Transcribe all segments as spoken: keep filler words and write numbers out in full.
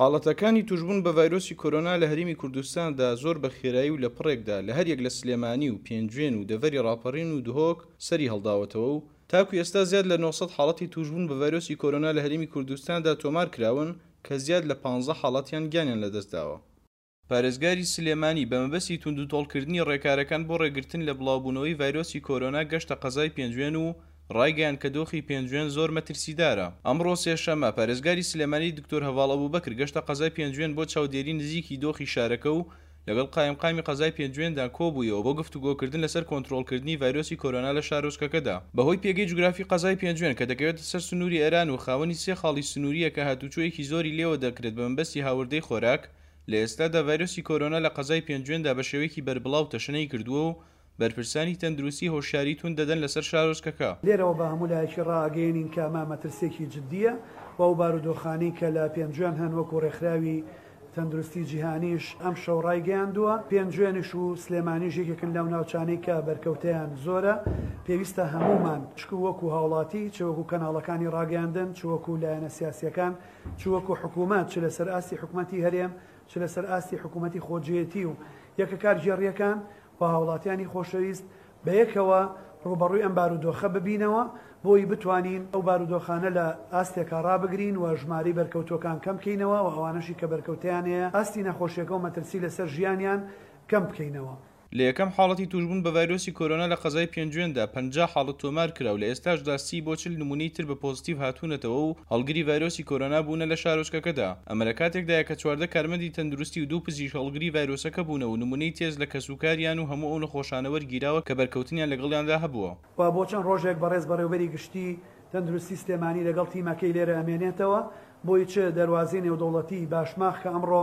حاڵەتەکانی توشبوون بە ڤایرۆسی کۆرۆنا لە هەرێمی کوردستاندا زۆر بە خێرایی و لە پڕێکدا لە هەریەک لە سلێمانی و پێنجوێن و دەڤەری ڕاپەڕین و دهۆک سەری هەڵداوەتەوە و تاکو ئێستا زیاد لە نۆ سەد حاڵەتی توشبوون بە ڤایرۆسی کۆرۆنا لە هەرێمی کوردستاندا تۆمار کراون کە زیاد لە پانزە حاڵەتیان گیانیان لەدەستداوە. پارێزگاری سلێمانی بە مەبەستی توندوتۆڵکردنی ڕێکارەکان بۆ ڕێگرتن لە بڵاوبوونەوەی ڤایرۆسی کۆرۆنا گەشتە قەزای پێنجوێن و ڕایگەیاند کە دۆخی پێنجوێن زۆر مەترسیدارە. ئەمڕۆ سێشەممە پارێزگاری سلێمانی دکتۆر هەڤاڵ ئەبوبەکر گەشتە قەزای پێنجوێن بۆ چاودێری نزیکی دۆخی شارەکە و لەگەڵ قایمقامی قەزای پێنجوێندا کۆبوویەوە بۆ گفتوگۆکردن لەسەر کۆنترۆڵکردنی ڤایرۆسی کۆرۆنا لە شارۆچکەکەدا. بەهۆی پێگەی جوگرافی قەزای پێنجوێن کە دەکەوێتە سەر سنووری ئێران و خاوەنی سێ خاڵی سنووریە کە هاتوچۆیەکی زۆری لێوە دەکرێت بە مەبەستی هاوردەی خۆراک، لە ئێستادا ڤایرۆسی کۆرۆنا لە قەزای پێنجوێندا بە شێوەیەکی بەربڵاو تەشەنەی کردووە و بەرپرسانی تەندروستی هۆشیاری توند دەدەن لەسەر شارۆچکەکە. لێرەوە بە هەموو لایەکی ڕائەگەیەنین کە ئەمە مەترسییەکی جدیە و ئەو بارودۆخانەی کە لە پێنجوێن هەن وەکو ڕێکخراوی تەندروستی جیهانیش ئەم شەو ڕایگەیاندووە، پێنجوێنیش و سلێمانیش یەکێکن لەو ناوچانەی کە بەرکەوتەیان زۆرە. پێویستە هەمومان چ وەکو هاوڵاتی، چ وەکو کەناڵەکانی ڕاگەیاندن، چ وەکو لایەنە سیاسیەکان، چ وەکو حکوومەت، چ لەسەر ئاستی حکوومەتی هەرێم، چ لەسەر ئاستی حکوومەتی خۆجێتی و یەکە کارگێڕیەکان و هاوڵاتیانی خۆشەویست بەیەکەوە ڕوبەڕووی ئەم بارودۆخە ببینەوە بۆی بتوانین ئەو بارودۆخانە لە ئاستێکا ڕابگرین و ژمارەی بەرکەوتوەکان کەم بکەینەوە و ئەوانەشی کە بەرکەوتیان هەیە ئاستی نەخۆشیەکە و مەترسی لەسەر ژیانیان کەم بکەینەوە. لە یەکەم حاڵەتی توشبوون بە ڤایرۆسی کۆرۆنا لە قەزای پێنجوێندا پەنجا حاڵەت تۆمار کرا و لە ئێستاشدا سی بۆ چل نمونەی تر بە پۆزیتیڤ هاتوونەتەوە و هەڵگری ڤایرۆسی کۆرۆنا بوونە لە شارۆچکەکەدا. ئەمە لە کاتێکدایە کە چواردە کارمەندی تەندروستی و دوو پزیشک هەڵگری ڤایرۆسەکە بوونە و نمونەی تێست لە کەسوکاریان و هەموو ئەو نەخۆشانە وەرگیراوە کە بەرکەوتنیان لەگەڵیاندا هەبووە. و بۆ چەند ڕۆژێک بەڕێز بەڕێوبەری گشتی تەندروستی سلێمانی لەگەڵ تیمەکەی لێرە ئەمێنێتەوە بۆی چ دەروازەی نێودەوڵەتی باشماخ کە ئەمڕۆ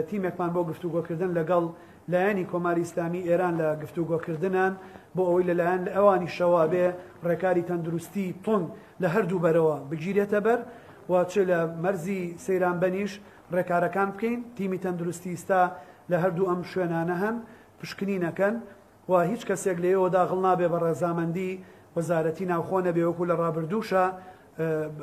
تیمێکمان بۆ گفتوگۆکردن لەگەڵ لایەنی کۆماری ئیسلامی ئێران لە گفتوگۆکردنان بۆ ئەوەی لەلایەن ئەوانیشەوە بێ ڕێکاری تەندروستی توند لە هەردوو بەرەوە بگیرێتە بەر و چ لە مەرزی سەیرانبەنیش ڕێکارەکان بکەین. تیمی تەندروستی ئیستا لە هەردوو ئەم شوێنانە هەن پشکنینەکەن و هیچ کەسێک لێیەوە داغڵ نابێ بە ڕێزامەندی وەزارەتی ناوخۆ نەبێ وەکو لە ڕابردووشە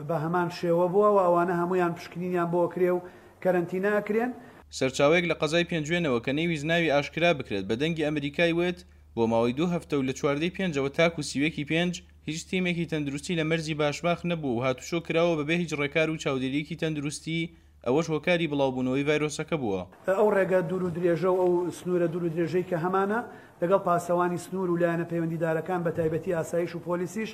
بە هەمان شێوە بووە و ئەوانە هەمویان پشکنینیان بۆ کرێ و کەرەنتینە ئەکرێن. سەرچاوەیەک لە قەزای پێنجوێنەوە کە نەیویست ناوی ئاشکرا بکرێت بە دەنگی ئەمریکای وت بۆ ماوەی دوو هەفتە و لە چواردەی پێنجەوە تاکو سیوەکی پێنج هیچ تیمێکی تەندروستی لە مەرزی باشماخ نەبوو و هاتوچۆ کراوە بەبێ هیچ ڕێکار و چاودێریەکی تەندروستی، ئەوەش هۆکاری بڵاوبوونەوەی ڤایرۆسەکە بووە. ئەو ڕێگە دوور و درێژە و ئەو سنوورە دوور و درێژەی کە هەمانە لەگەڵ پاسەوانی سنوور و لایەنە پەیوەندیدارەکان بە تایبەتی ئاسایش و پۆلیسیش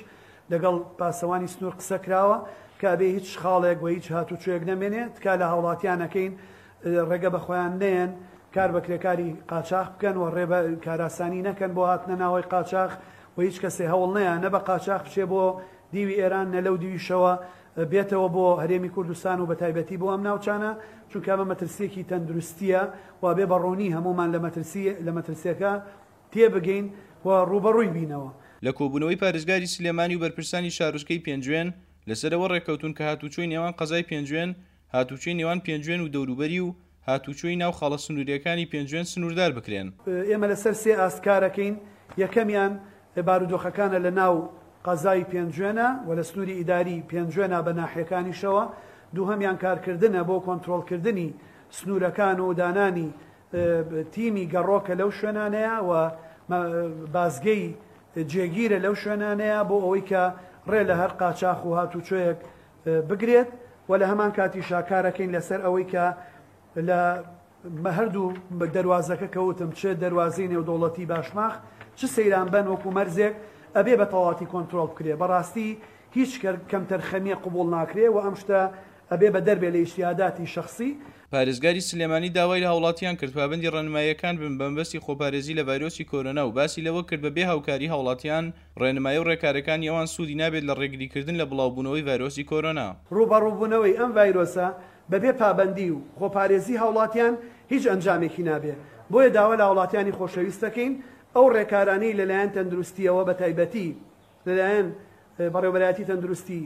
لەگەڵ پاسەوانی سنوور قسە کراوە کە ئەبێ هیچ خاڵێک و هیچ هاتوچۆیەک نەمێنێت. تکا لە هاوڵاتیانەکەین ڕێگە بە خۆیان نەیەن کار بە کرێکاری قاچاخ بکەن و ڕێ بە کاراسانی نەکەن بۆ هاتنە ناوەی قاچاخ و هیچ کەسێ هەوڵ نەیە نە بە قاچاخ بچێ بۆ دیوی ئێران نە لەو دیویشەوە بێتەوە بۆ هەرێمی کوردستان و بە تایبەتی بۆ ئەم ناوچانە، چونکە ئەمە مەترسیەکی تەندروستیە و بێ بەڕوونی هەمومان لە مەترسیەکە تێبگەین و ڕوبەڕووی بینەوە. لە کۆبوونەوەی پارێزگاری سلێمانی و بەرپرسانی شارۆچکەی پێنجوێن لەسەرەوە ڕێککەوتون کە هاتوچۆی نێوان قەزای پێنجوێن، هاتوچۆی نێوان پێنجوێن و دەوروبەری و هاتوچۆی ناو خاڵە سنووریەکانی پێنجوێن سنووردار بکرێن. ئێمە لەسەر سێ ئاست کارەکەین. یەکەمیان بارودۆخەکانە لە ناو قەزای پێنجوێنە و لە سنووری ئیداری پێنجوێنە بە ناحیەکانیشەوە. دووهەمیان کارکردنە بۆ کۆنترۆڵکردنی سنوورەکان و دانانی تیمی گەڕۆکە لەو شوێنانەیە و بازگەی جێگیرە لەو شوێنانەیە بۆ ئەوەی کە ڕێ لە هەر قاچاخ و هاتوچۆیەک بگرێت. و لە هەمان کاتیشا کارەکەین لەسەر ئەوەی کە لە هەردوو دەروازەکە کەوتم چ دەروازەی نێودەوڵەتی باشماخ چ سەیرانبەن وەکو مەرزێک ئەبێ بە تەواتی کۆنترۆڵ بکرێ. بەڕاستی هیچ کەمتەرخەمیە قبوڵ ناکرێ و ئەم شتە ئەبێ بە دەربێ لە ئیجتیهاداتی شەخسی. پارێزگاری سلێمانی داوای لە هاوڵاتیان کرد پابەندی ڕێنماییەکان بن بە مەبەستی خۆپارێزی لە ڤایرۆسی کۆرۆنا و باسی لەوە کرد بە بێ هاوکاری هاوڵاتیان ڕێنمایی و ڕێکارەکانی ئەوان سوودی نابێت لە ڕێگریکردن لە بڵاوبوونەوەی ڤایرۆسی کۆرۆنا. ڕوبەڕووبوونەوەی ئەم ڤایرۆسە بەبێ پابەندی و خۆپارێزی هاوڵاتیان هیچ ئەنجامێکی نابێ. بۆیە داوا لە هاوڵاتیانی خۆشەویستەکەین ئەو ڕێکارانەی لەلایەن تەندروستیەوە بە تایبەتی لەلایەن بەڕێوەبەرایەتی تەندروستی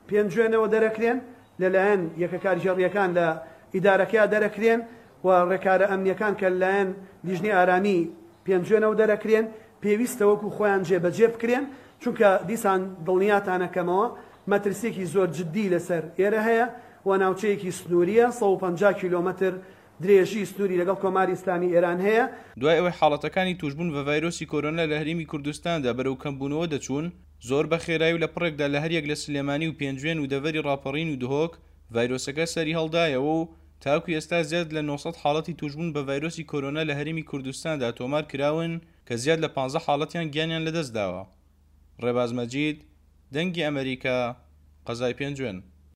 پێنجوێنەوە دەرەکرێن، لەلایەن یەکە کارگێڕیەکان لە ئیدارەکەیا دەرەکرێن و ڕێکارە ئەمنیەکان کە لەلایەن لیژنەی ئارامی پێنجوێنەوە دەرەکرێن، پێویستە وەکو خۆیان جێبەجێ بکرێن، چونکە دیسان دڵنیاتانەکەمەوە مەترسیەکی زۆر جدی لەسەر ئێرە هەیە و ناوچەیەکی سنووریە، سەد و پەنجا کیلۆمەتر درێژی سنووری لەگەڵ کۆماری ئیسلامی ئێران هەیە. دوای ئەوەی حاڵەتەکانی توشبوون بە ڤایرۆسی کۆرۆنا لە هەرێمی کوردستاندا بەرەو کەمبوونەوە دەچوون، زۆر بە خێرایی و لە پڕێکدا لە هەریەک لە سلێمانی و پێنجوێن و دەڤەری ڕاپەڕین و دهۆک ڤایرۆسەکە سەری هەڵدایەوە و تاکو ئێستا زیاد لە نۆ سەد حاڵەتی توشبوون بە ڤایرۆسی کۆرۆنا لە هەرێمی کوردستاندا تۆمار کراون کە زیاد لە پانزە حاڵەتیان گیانیان لەدەستداوە. ڕێباز مەجید، دەنگی ئەمریکا، قەزای پێنجوێن.